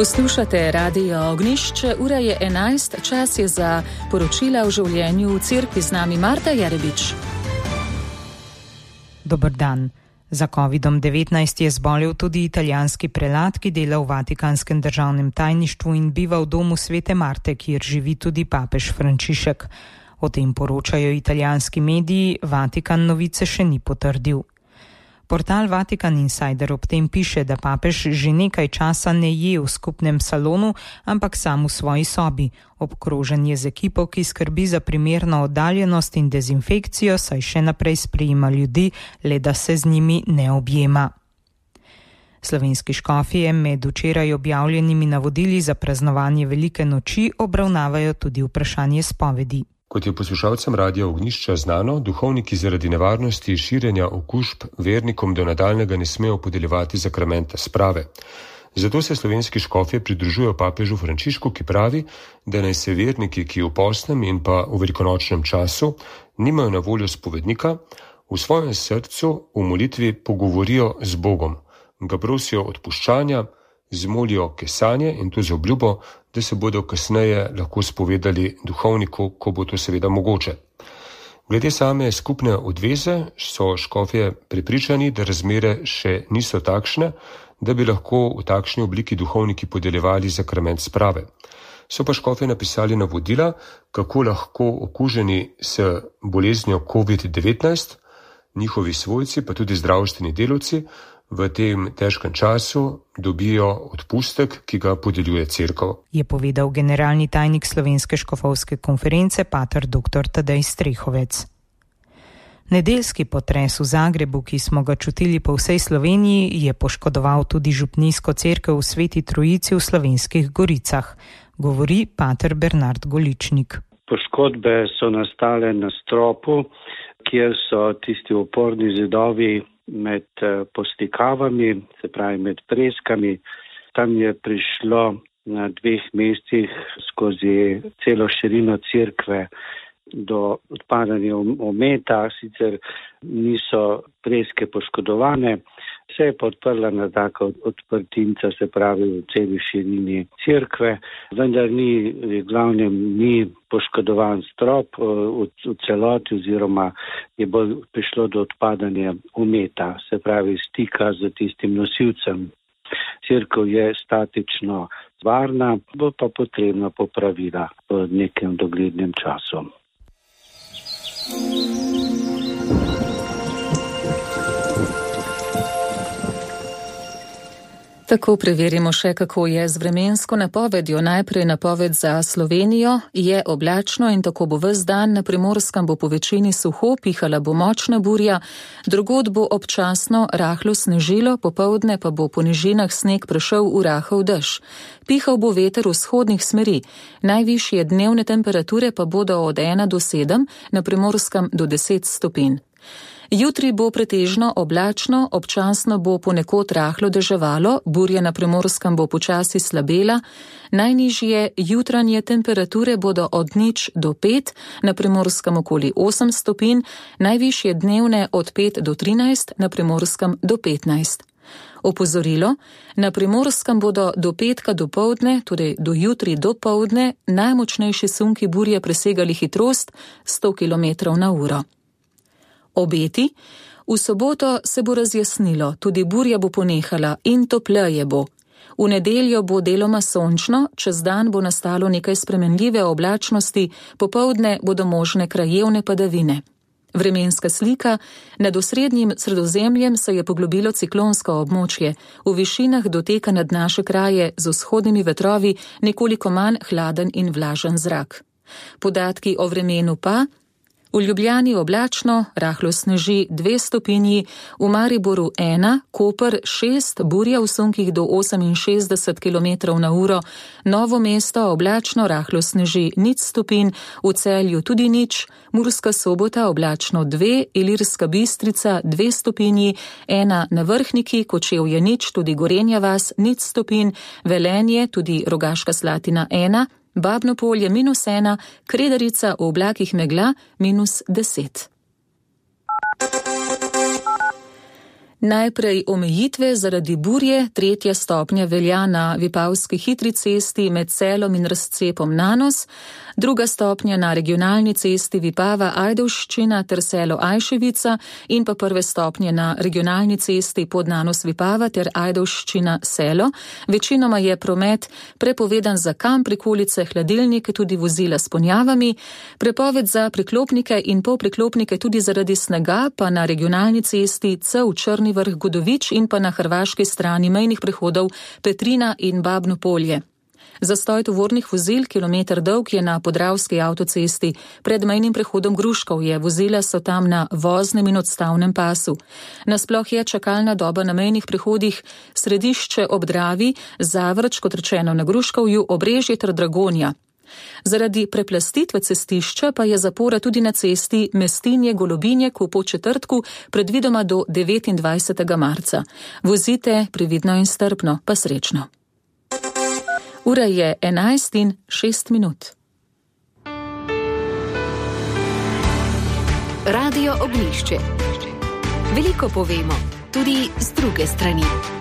Poslušate Radio Ognjišče, ura je 11, čas je za poročila o življenju v cerkvi. Z nami Marta Jarebič. Dober dan. Za COVID-19 je zbolel tudi italijanski prelat, ki dela v Vatikanskem državnem tajništvu in biva v domu Svete Marte, kjer živi tudi papež Frančišek. O tem poročajo italijanski mediji, Vatikan novice še ni potrdil. Portal Vatikan Insider ob tem piše, da papež že nekaj časa ne je v skupnem salonu, ampak sam v svoji sobi. Obkrožen je z ekipo, ki skrbi za primerno oddaljenost in dezinfekcijo, saj še naprej sprejema ljudi, le da se z njimi ne objema. Slovenski škofje med včeraj objavljenimi navodili za praznovanje velike noči obravnavajo tudi vprašanje spovedi. Kot je poslušalcem Radia Ognjišča znano, duhovniki zaradi nevarnosti širjenja okužb vernikom do nadaljnjega ne smejo podeljevati zakramenta sprave. Zato se slovenski škofje pridružujejo papežu Frančišku, ki pravi, da naj se verniki, ki v postnem in pa v velikonočnem času nimajo na voljo spovednika, v svojem srcu v molitvi pogovorijo z Bogom, ga prosijo odpuščanja, zmolijo kesanje in to z obljubo, da se bodo kasneje lahko spovedali duhovniku, ko bo to seveda mogoče. Glede same skupne odveze so škofje prepričani, da razmere še niso takšne, da bi lahko v takšni obliki duhovniki podeljevali zakrament sprave. So pa škofje napisali navodila, kako lahko okuženi s boleznijo COVID-19, njihovi svojci pa tudi zdravstveni delavci v tem težkem času dobijo odpustek, ki ga podeljuje cerkev. Je povedal generalni tajnik Slovenske škofovske konference pater dr. Tadej Strehovec. Nedeljski potres v Zagrebu, ki smo ga čutili po vsej Sloveniji, je poškodoval tudi župnijsko cerkev v Sveti Trojici v Slovenskih Goricah, govori pater Bernard Goličnik. Poškodbe so nastale na stropu, kjer so tisti oporni zidovi med postikavami, se pravi med preskami. Tam je prišlo na 2 mestih skozi celo širino cerkve do odpadanja ometa, sicer niso preske poškodovane, se je podprla na tako odprtinca, se pravi v celi širini cerkve, vendar v glavnem ni poškodovan strop v celoti oziroma je bolj prišlo do odpadanja ometa, se pravi stika z tistim nosilcem. Cerkev je statično varna, bo pa potrebna popravila v nekem doglednem času. Tako preverimo še, kako je z vremensko napovedjo. Najprej napoved za Slovenijo. Je oblačno in tako bo ves dan. Na Primorskem bo po večini suho, pihala bo močna burja, drugod bo občasno rahlo snežilo, popoldne pa bo po nižinah sneg prešel v rahel dež. Pihal bo veter vzhodnih smeri. Najvišje dnevne temperature pa bodo od 1 do 7, na Primorskem do 10 stopinj. Jutri bo pretežno oblačno, občasno bo ponekod rahlo deževalo, burja na Primorskem bo počasi slabela, najnižje jutranje temperature bodo od 0 do 5, na Primorskem okoli 8 stopinj, najvišje dnevne od 5 do 13, na Primorskem do 15. Opozorilo, na Primorskem bodo do petka dopoldne, torej do jutri dopoldne, najmočnejši sunki burje presegali hitrost 100 km/h. Obeti. V soboto se bo razjasnilo, tudi burja bo ponehala in topleje bo. V nedeljo bo deloma sončno, čez dan bo nastalo nekaj spremenljive oblačnosti, popoldne bodo možne krajevne padavine. Vremenska slika. Nad osrednjim Sredozemljem se je poglobilo ciklonsko območje. V višinah doteka nad naše kraje z vzhodnimi vetrovi nekoliko manj hladen in vlažen zrak. Podatki o vremenu pa. V Ljubljani oblačno, rahlo sneži 2 stopinji, v Mariboru 1, Koper 6, burja v sunkih do 68 km/h, Novo mesto oblačno, rahlo sneži 0 stopinj, v Celju tudi 0, Murska Sobota oblačno 2, Ilirska Bistrica 2 stopinji, 1 na Vrhniki, Kočevje 0, tudi Gorenja vas 0 stopinj, Velenje, tudi Rogaška Slatina 1, Babno Polje -1, Kredarica v oblakih megla -10. Najprej omejitve zaradi burje, 3. stopnja velja na Vipavski hitri cesti med Celom in razcepom Nanos, 2. stopnja na regionalni cesti Vipava-Ajdovščina ter Selo Ajševica in pa 1. stopnje na regionalni cesti pod Nanos-Vipava ter Ajdovščina-Selo. Večinoma je promet prepovedan za kamp, prikolice, hladilnik, tudi vozila s ponjavami, prepoved za priklopnike in polpriklopnike tudi zaradi snega, pa na regionalni cesti Cev Črni Vrh Godovič in pa na hrvaški strani mejnih prehodov Petrina in Babno Polje. Zastoj tovornih vozil, kilometer dolg, je na Podravski avtocesti pred mejnim prehodom Gruškovje. Vozila so tam na voznem in odstavnem pasu. Nasploh je čakalna doba na mejnih prehodih Središče ob Dravi, Zavrč, kot rečeno na Gruškovju, Obrežje ter Dragonja. Zaradi preplastitve cestišča pa je zapora tudi na cesti Mestinje-Golobinjek v Podčetrtku, predvidoma do 29. marca. Vozite previdno in strpno, pa srečno. Ura je 11:06. Radio Ognjišče. Veliko povemo, tudi z druge strani.